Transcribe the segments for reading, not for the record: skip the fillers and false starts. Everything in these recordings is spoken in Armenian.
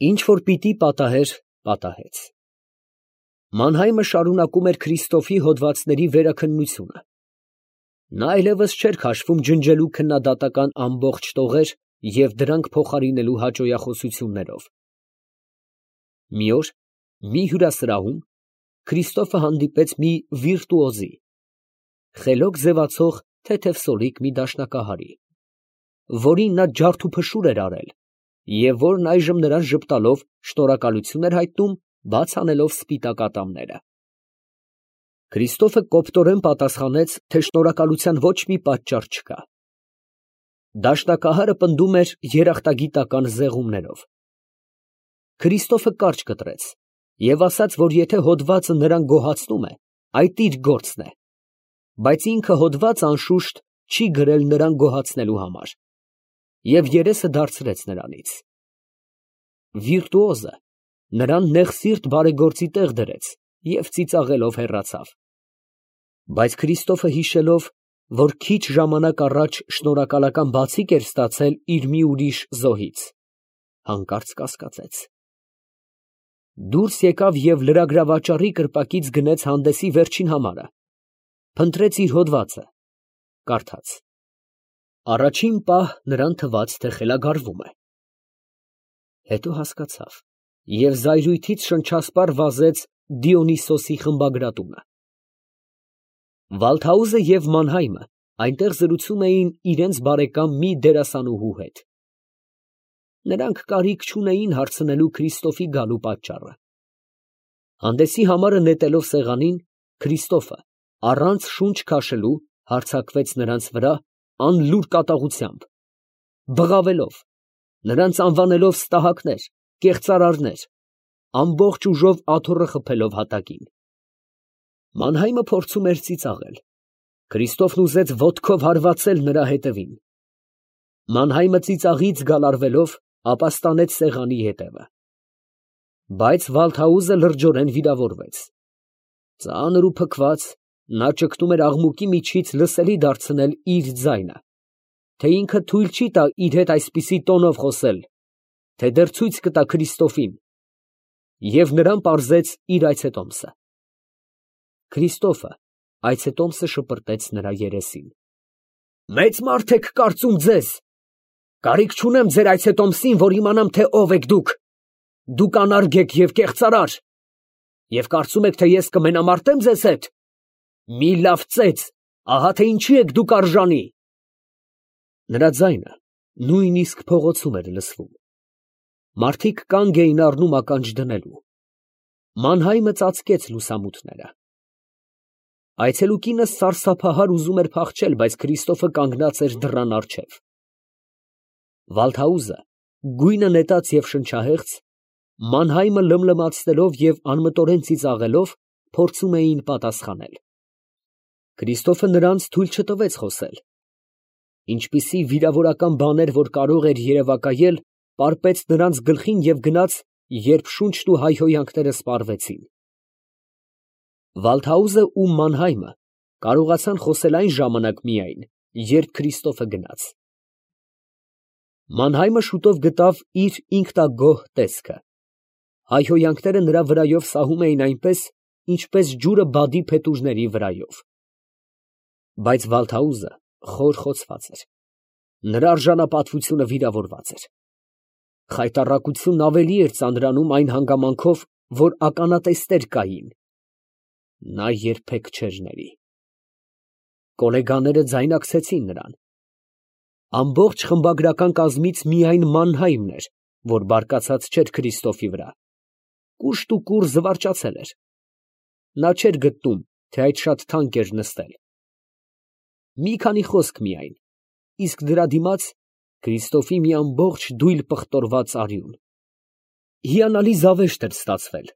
Ինչ որ պիտի պատահեր, պատահեց։ Մանհայմը շարունակում էր Քրիստոֆի հոդվածների վերաքննությունը։ Նա այլևս չէր քաշվում ջնջելու քննադատական ամբողջ տողեր և դրանք փոխարինելու հաճոյախոսություններով։ Մի օր մի հյուրասրահում Քրիստոֆը հանդիպեց մի վիրտուոզի, խելոք ձևացող թեթև սորիկ մի դաշնակահարի, որին նա ջարդուփշուր էր արել և որն այժմ նրան ժպտալով շնորհակալություն էր հայտնում, բաց անելով սպիտակ ատամները։ Քրիստոֆը կոպտորեն պատասխանեց, թե շնորհակալության ոչ մի պատճառ չկա։ Դաշնակահարը պնդում էր երախտագիտական զեղումներով։ Քրիստոֆը կարճ կտրեց և ասաց, որ եթե հոդվածը նրան գոհացնում է, այդ իր գործն է, բայց ինքը հոդված անշուշտ չի գրել նրան գոհացնելու համար, և երեսը դարձրեց նրանից։ Վիրտուոզը նրան նեղսիրտ բարեգործի տեղ դրեց և ծիծաղելով հեռացավ։ Բայց Քրիստոֆը հիշելով, որ քիչ ժամանակ առաջ շնորհակալական բացիկ էր ստացել իր մի ուրիշ զոհից, հանկարծ կասկածեց։ Դուրս եկավ և լրագրավաճառի կրպակից գնեց հանդեսի վերջին համարը, փնտրեց իր հոդվածը, կարդաց։ Առաջին պահ նրան թվաց, թե խելագարվում է։ Հետո հասկացավ և զայրույթից շնչասպառ վազեց Դիոնիսիոսի խմբագրատունը։ Վալթհաուզը և Մանհայմը այնտեղ զրուցում էին իրենց բարեկամ մի դերասանուհու հետ։ Նրանք կարիք չունեին հարցնելու Քրիստոֆի գալու պատճառը։ Հանդեսի համարը նետելով սեղանին, Քրիստոֆը առանց շունչ քաշելու հարձակվեց նրանց վրա անլուր կատաղությամբ, բղավելով, նրանց անվանելով ստահակներ, կեղծարարներ, ամբողջ ուժով աթոռը խփելով հատակին։ Մանհայմը փորձում էր ծիծաղել։ Քրիստոֆն ուզեց ոտքով հարվածել նրա հետևին։ Մանհայմը ծիծաղից գալարվելով ապաստանեց սեղանի ետևը։ Բայց Վալթհաուզը լրջորեն վիրավորվեց։ Ծանր ու փքված, նա ճգնում էր աղմուկի միջից լսելի դարձնել իր ձայնը, թե ինքը թույլ չի տա իր հետ այսպիսի տոնով խոսել, թե դեռ ցույց կտա Քրիստոֆին, և նրան պարզեց իր այցետոմսը։ Քրիստոֆը այցետոմսը շպրտեց նրա երեսին։ Մեծ մարդ եք կարծում ձեզ. կարիք չունեմ ձեր այցետոմսին, որ իմանամ, թե ով եք դուք։ Դուք անարգ եք և կեղծարար, և կարծում եք, թե ես կմենամարտեմ ձեզ հետ։ Մի լավ ծեծ, ահա թե ինչի եք դուք արժանի։ Նրա ձայնը նույնիսկ փողոցում էր լսվում։ Մարդիկ կանգ էին առնում ականջ դնելու։ Մանհայմը ծածկեց լուսամուտները։ Այցելուկինը սարսափահար ուզում էր փախչել, բայց Քրիստոֆը կանգնած էր դռան առջև։ Վալթհաուզը, գույնը նետած և շնչահեղձ, Մանհայմը լմլմացնելով և անմտորեն ծիծաղելով, փորձում էին պատասխանել։ Քրիստոֆը նրանց թույլ չտվեց խոսել։ Ինչպիսի վիրավորական բաներ, որ կարող էր երևակայել, պարպեց նրանց գլխին և գնաց, երբ շունչն ու հայհոյանքները սպառվեցին։ Վալթհաուզը ու Մանհայմը կարողացան խոսել այն ժամանակ միայն, երբ Քրիստոֆը գնաց։ Մանհայմը շուտով գտավ իր ինքնագոհ տեսքը։ Հայհոյանքները նրա վրայով սահում էին այնպես, ինչպես ջուրը բադի փետուրների վրայով։ Բայց Վալթհաուզը խորխոցված էր։ Նրա արժանապատվությունը վիրավորված էր։ Խայտառակությունն ավելի էր ծանրանում այն հանգամանքով, որ ականատեսներ կային։ Նա երբեք չէր ների։ Կոլեգաները ձայնարկեցին նրան։ Ամբողջ խմբագրական կազմից միայն Մանհայմն էր, որ բարկացած չէր Քրիստոֆի վրա։ Կուշտ ու կուռ զվարճացել էր։ Նա չէր գտնում, թե այդ շատ թանկ էր նստել։ Մի քանի խոսք միայն, իսկ դրա դիմաց Քրիստոֆի մի ամբողջ դույլ պղտորված արյուն։ Հիանալի զավեշտ էր ստացվել,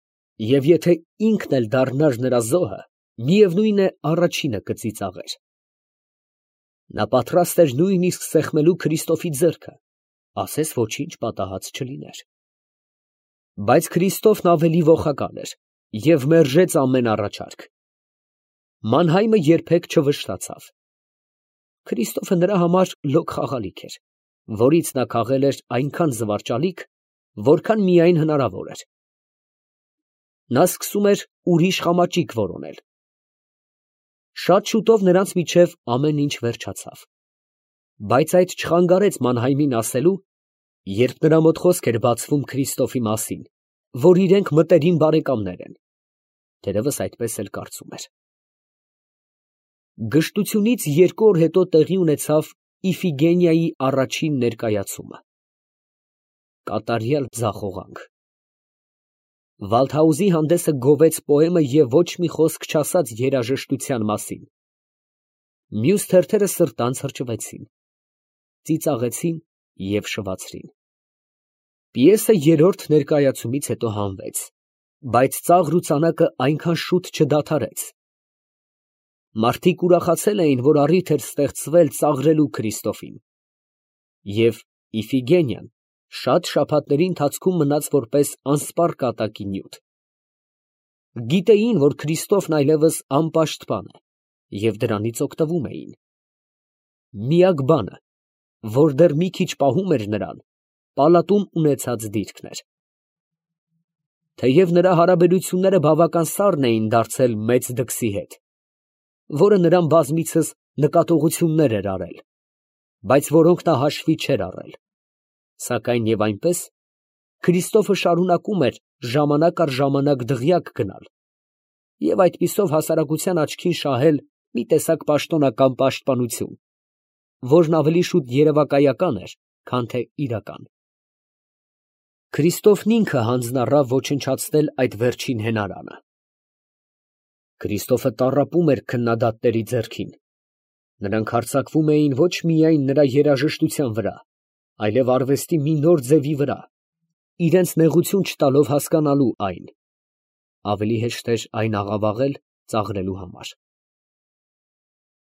և եթե ինքն էլ դառնար նրա զոհը, միևնույն է, առաջինը կծիծաղեր։ Նա պատրաստ էր նույնիսկ սեղմելու Քրիստոֆի ձեռքը, ասես ոչինչ պատահած չլիներ։ Բայց Քրիստոֆն ավելի ոխակալ էր և մերժեց ամեն առաջարկ։ Մանհայմը երբեք չվշտացավ։ Քրիստոֆը նրա համար լոկ խաղալիք էր, որից նա քաղել էր այնքան զվարճալիք, որքան միայն հնարավոր էր։ Նա սկսում էր ուրիշ խամաճիկ որոնել։ Շատ շուտով նրանց միջև ամեն ինչ վերջացավ։ Բայց այդ չխանգարեց Մանհայմին ասելու, երբ նրա մոտ խոսք էր բացվում Քրիստոֆի մասին, որ իրենք մտերիմ բարեկամներ են, թերևս այդպես էլ կարծում էր։ Գժտությունից 2 օր հետո տեղի ունեցավ Իֆիգենիայի առաջին ներկայացումը։ Կատարյալ ձախողանք։ Վալդհաուզի հանդեսը գովեց պոեմը և ոչ մի խոսք չասաց երաժշտության մասին։ Մյուս թերթերը սրտանց հրճվեցին, ծիծաղեցին և շվացրին։ Պիեսը 3-րդ ներկայացումից հետո հանվեց, բայց ծաղր ու ծանակը այնքան շուտ չդադարեց։ Մարդիկ ուրախացել էին, որ առիթ էր ստեղծվել ծաղրելու Քրիստոֆին, և Իֆիգենիան շատ շաբաթների ընթացքում մնաց որպես անսպառ կատակի նյութ։ Գիտեին, որ Քրիստոֆն այլևս անպաշտպան է, և դրանից օգտվում էին։ Միակ բանը, որ դեռ մի քիչ պահում էր նրան, պալատում ունեցած դիրքն էր։ Թեև նրա հարաբերությունները բավական սառն էին դարձել մեծ դքսի հետ, որը նրան բազմիցս նկատողություններ էր արել, բայց որոնք նա հաշվի չէր առել, սակայն և այնպես, Քրիստոֆը շարունակում էր ժամանակ առ ժամանակ դղյակ գնալ և այդպիսով հասարակության աչքին շահել մի տեսակ պաշտոնական պաշտպանություն, որն ավելի շուտ երևակայական էր, քան թե իրական։ Քրիստոֆն ինքը հանձնառավ ոչնչացնել այդ վերջին հենարանը։ Քրիստոֆը տառապում էր քննադատների ձեռքին։ Նրանք հարձակվում էին ոչ միայն նրա երաժշտության վրա, այլև արվեստի մի նոր ձևի վրա, իրենց նեղություն չտալով հասկանալու այն։ Ավելի հեշտ էր այն աղավաղել ծաղրելու համար։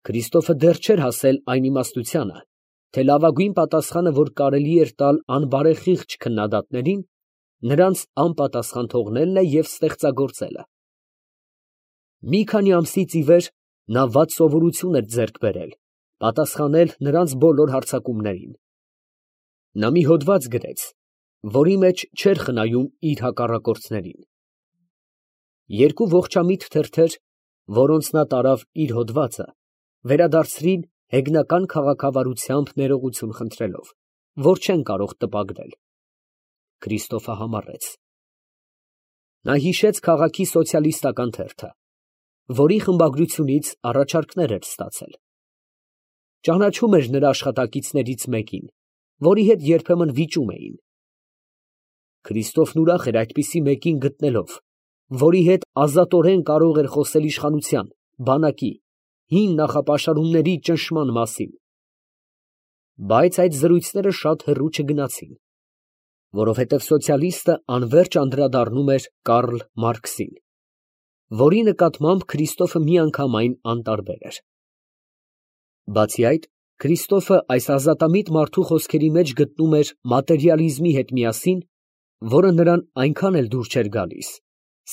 Քրիստոֆը դեռ չէր հասել այն իմաստությանը, թե լավագույն պատասխանը, որ կարելի էր տալ անբարեխիղճ քննադատներին, նրանց անպատասխան թողնելն է և ստեղծագործելը։ Մի քանի ամսից ի վեր նա վատ սովորություն էր ձեռք բերել, պատասխանել նրանց բոլոր հարձակումներին։ Նա մի հոդված գրեց, որի մեջ չէր խնայում իր հակառակորդներին։ 2 ողջամիտ թերթեր, որոնց նա տարավ իր հոդվածը, վերադարձրին հեգնական քաղաքավարությամբ ներողություն խնդրելով, որ չեն կարող տպագրել։ Քրիստոֆը համառեց։ Նա հիշեց քաղաքի սոցիալիստական թերթը, որի խմբագրությունից առաջարկներ էր ստացել։ Ճանաչում էր նրա աշխատակիցներից մեկին, որի հետ երբեմն վիճում էին։ Քրիստոֆն ուրախ էր այդպիսի մեկին գտնելով, որի հետ ազատորեն կարող էր խոսել իշխանության, բանակի, հին նախապաշարումների ճնշման մասին։ Բայց այդ զրույցները շատ հեռու չգնացին, որովհետև սոցիալիստը անվերջ անդրադառնում էր Կարլ Մարքսին, որի նկատմամբ Քրիստոֆը միանգամայն անտարբեր էր։ Բացի այդ, Քրիստոֆը այս ազատամիտ մարդու խոսքերի մեջ գտնում էր մատերիալիզմի հետ միասին, որը նրան այնքան էլ դուր չէր գալիս,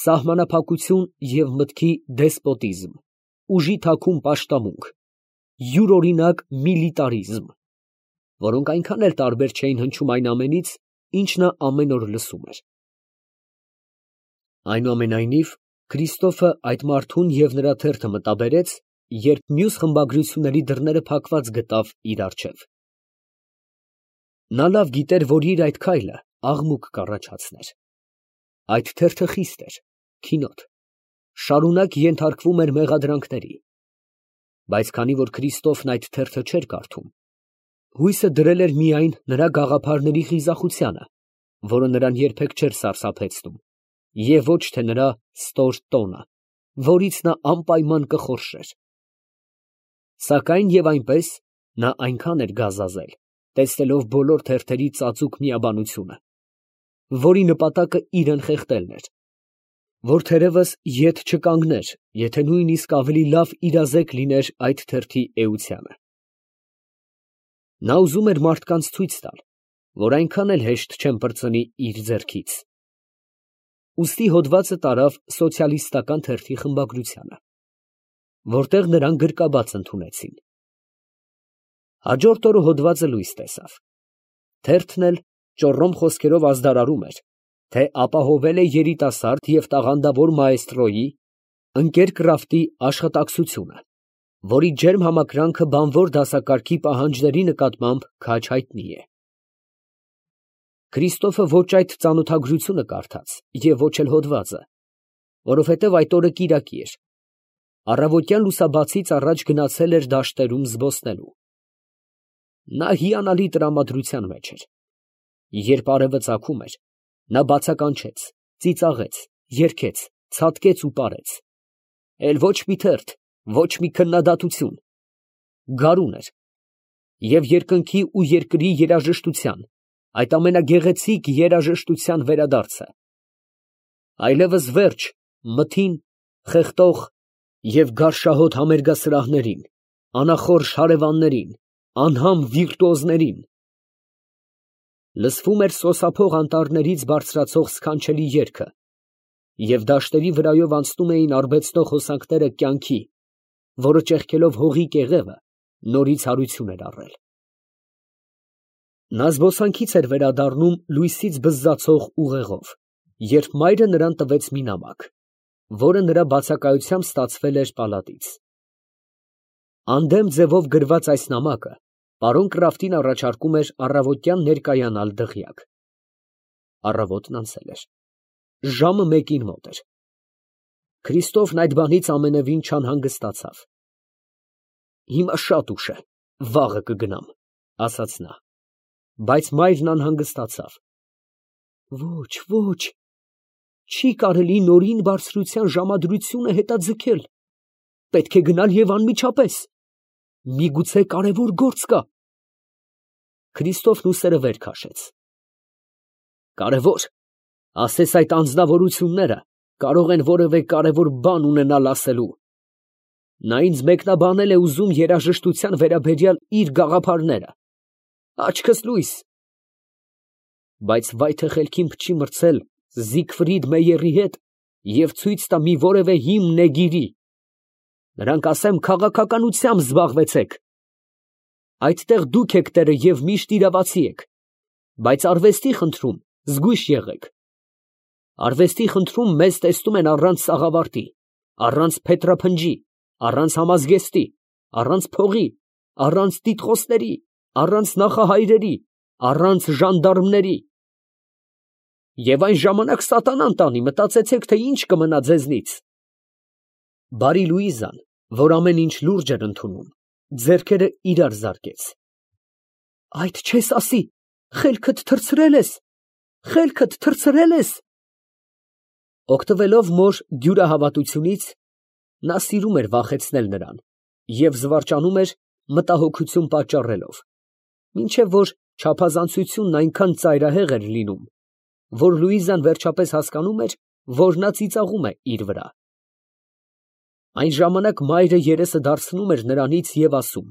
սահմանափակություն և մտքի դեսպոտիզմ, ուժի թաքուն պաշտամունք, յուրօրինակ միլիտարիզմ, որոնք այնքան էլ տարբեր չէին հնչում այն ամենից, ինչ նա ամեն օր լսում էր։ Այնուամենայնիվ, Քրիստոֆը այդ մարդուն և նրա թերթը մտաբերեց, երբ մյուս խմբագրությունների դռները փակված գտավ իր առջև։ Նա լավ գիտեր, որ իր այդ քայլը աղմուկ կառաջացներ։ Այդ թերթը խիստ էր, քինոտ, շարունակ ենթարկվում էր մեղադրանքների։ Բայց քանի որ Քրիստոֆն այդ թերթը չէր կարդում, հույսը դրել էր միայն նրա գաղափարների խիզախությանը, որը նրան երբեք չէր սարսափեցնում, և ոչ թե նրա ստոր տոնը, որից նա անպայման կխորշեր։ Սակայն և այնպես նա այնքան էր գազազել, տեսնելով բոլոր թերթերի ծածուկ միաբանությունը, որի նպատակը իրան խեղդելն էր, որ թերևս ետ չկանգներ, եթե նույնիսկ ավելի լավ իրազեկ լիներ այդ թերթի էությանը։ Նա ուզում էր մարդկանց ցույց տալ, որ այնքան էլ հեշտ չեն պրծնի իր ձեռքից։ Ուստի հոդվածը տարավ սոցիալիստական թերթի խմբագրությանը, որտեղ նրան գրկաբաց ընդունեցին։ Հաջորդ օրը հոդվածը լույս տեսավ։ Թերթն էլ ճոռոմ խոսքերով ազդարարում էր, թե ապահովել է երիտասարդ և տաղանդավոր մաեստրոյի, ընկեր Կրաֆտի աշխատակցությունը, որի ջերմ համակրանքը բանվոր դասակարգի պահանջների նկատմամբ քաջ հայտնի է։ Քրիստոֆը ոչ այդ ծանոթագրությունը կարդաց և ոչ էլ հոդվածը, որովհետև այդ օրը կիրակի էր, առավոտյան լուսաբացից առաջ գնացել էր դաշտերում զբոսնելու։ Նա հիանալի տրամադրության մեջ էր։ Երբ արևը ծագում էր, նա բացականչեց, ծիծաղեց, երգեց, ցատկեց ու պարեց։ Էլ ոչ մի թերթ, ոչ մի քննադատություն։ Գարուն էր և երկնքի ու երկրի երաժշտության, այդ ամենագեղեցիկ երաժշտության վերադարձը։ Այլևս վերջ մթին, խեղդող և գարշահոտ համերգասրահներին, անախորժ հարևաններին, անհամ վիրտուոզներին։ Լսվում էր սոսափող անտառներից բարձրացող սքանչելի երգը, և դաշտերի վրայով անցնում էին արբեցնող հոսանքները կյանքի, որը ճեղքելով հողի կեղևը, նորից հարություն էր առել։ Նա զբոսանքից էր վերադառնում լույսից բզզացող ուղեղով, երբ մայրը նրան տվեց մի նամակ, որը նրա բացակայությամբ ստացվել էր պալատից։ Անդեմ ձևով գրված այս նամակը պարոն Կրաֆտին առաջարկում էր առավոտյան ներկայանալ դղյակ։ Առավոտն անցել էր, ժամը մեկին մոտ էր։ Քրիստոֆն այդ բանից ամենևին չանհանգստացավ։ «Հիմա շատ ուշ է, վաղը կգնամ», ասաց նա։ Բայց մայրն անհանգստացավ։ Ոչ, չի կարելի նորին բարձրության ժամադրությունը հետաձգել, պետք է գնալ և անմիջապես, միգուցե կարևոր գործ կա։ Քրիստոֆն ուսերը վեր քաշեց։ Կարևոր, ասես այդ անձնավորությունները կարող են որևէ կարևոր բան ունենալ ասելու։ Նա ինձ մեկնաբանել է ուզում երաժշտության վերաբերյալ իր գաղափարները։ Աչքս լույս։ Բայց վայ թե խելքին փչի մրցել Զիգֆրիդ Մեյերի հետ և ցույց տա մի որևէ հիմն էգիրի։ Նրանք ասեմ քաղաքականությամբ զբաղվեցեք։ Այդտեղ դուք եք տերը և միշտ իրավացի եք, բայց արվեստի խնդրում զգույշ եղեք։ Արվեստի խնդրում մեզ տեսնում են առանց սաղավարտի, առանց փետրափնջի, առանց համազգեստի, առանց փողի, առանց տիտղոսների, առանց նախահայրերի, առանց ժանդարմների։ Եվ այն ժամանակ սատանան տանի, մտածեցեք, թե ինչ կմնա ձեզնից։ Բարի Լուիզան, որ ամեն ինչ լուրջ էր ընդունում, ձեռքերը իրար զարկեց։ Այդ չես ասի, խելքդ թռցրել ես։ Օգտվելով մոր դյուրահավատությունից, նա սիրում էր վախեցնել նրան և զվարճանում էր մտահոգություն պատճառելով, մինչև որ չափազանցությունն այնքան ծայրահեղ էր լինում, որ Լուիզան վերջապես հասկանում էր, որ նա ծիծաղում է իր վրա։ Այն ժամանակ մայրը երեսը դարձնում էր նրանից և ասում.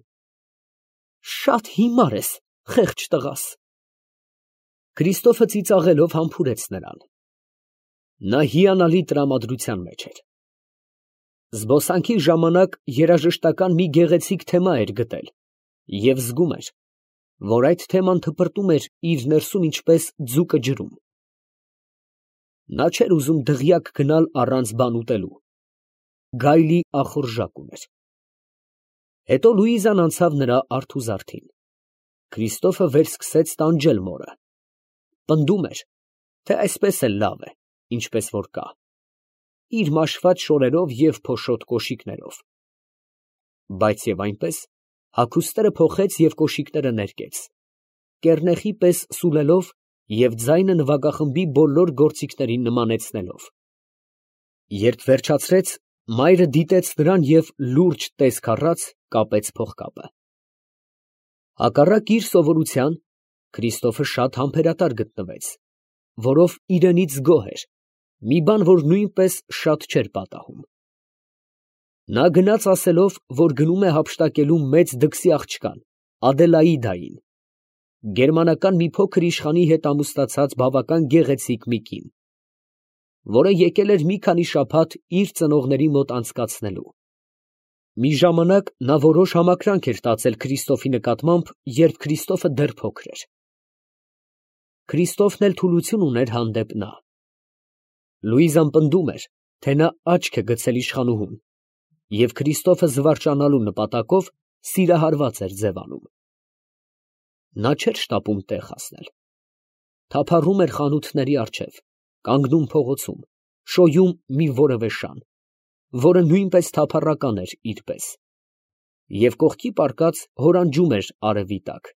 «Շատ հիմար ես, խեղճ տղաս»։ Քրիստոֆը ծիծաղելով համբուրեց նրան։ Նա հիանալի տրամադրության մեջ էր։ Զբոսանքի ժամանակ երաժշտական մի գեղեցիկ թեմա էր գտել և զգում էր, որ այդ թեման թպրտում էր իր ներսում ինչպես ձուկը ջրում։ Նա չէր ուզում դղյակ գնալ առանց բան ուտելու։ Գայլի ախորժակ ուներ։ Հետո Լուիզան անցավ նրա արթուզարդին։ Քրիստոֆը վերսկսեց տանջել մորը։ Պնդում էր, թե այսպես էլ լավ է, ինչպես որ կա, իր մաշված շորերով և փոշոտ կոշիկներով։ Բայց և այնպես հագուստները փոխեց և կոշիկները ներկեց, կեռնեխի պես սուլելով և ձայնը նվագախմբի բոլոր գործիքներին նմանեցնելով։ Երբ վերջացրեց, մայրը դիտեց նրան և լուրջ տեսք առած կապեց փողկապը։ Հակառակ իր սովորության, Քրիստոֆը շատ համբերատար գտնվեց, որով իրենից գոհ էր, մի բան, որ նույնպես շատ չէր պատահում։ Նա գնաց ասելով, որ գնում է հափշտակելու մեծ դքսի աղջկան, Ադելաիդային, գերմանական մի փոքր իշխանի հետ ամուսնացած բավական գեղեցիկ մի կին, որը եկել էր մի քանի շաբաթ իր ծնողների մոտ անցկացնելու։ Մի ժամանակ նա որոշ համակրանք էր տածել Քրիստոֆի նկատմամբ, երբ Քրիստոֆը դեռ փոքր էր։ Քրիստոֆն էլ թուլություն ուներ հանդեպ նա։ Լուիզան պնդում էր, թե նա աչք է գցել իշխանուհուն, և Քրիստոֆը զվարճանալու նպատակով սիրահարված էր ձևանում։ Նա չէր շտապում տեղ հասնել. թափառում էր խանութների առջև, կանգնում փողոցում, շոյում մի որևէ շան, որը նույնպես թափառական էր իր պես, և կողքի պառկած հորանջում էր արևի տակ։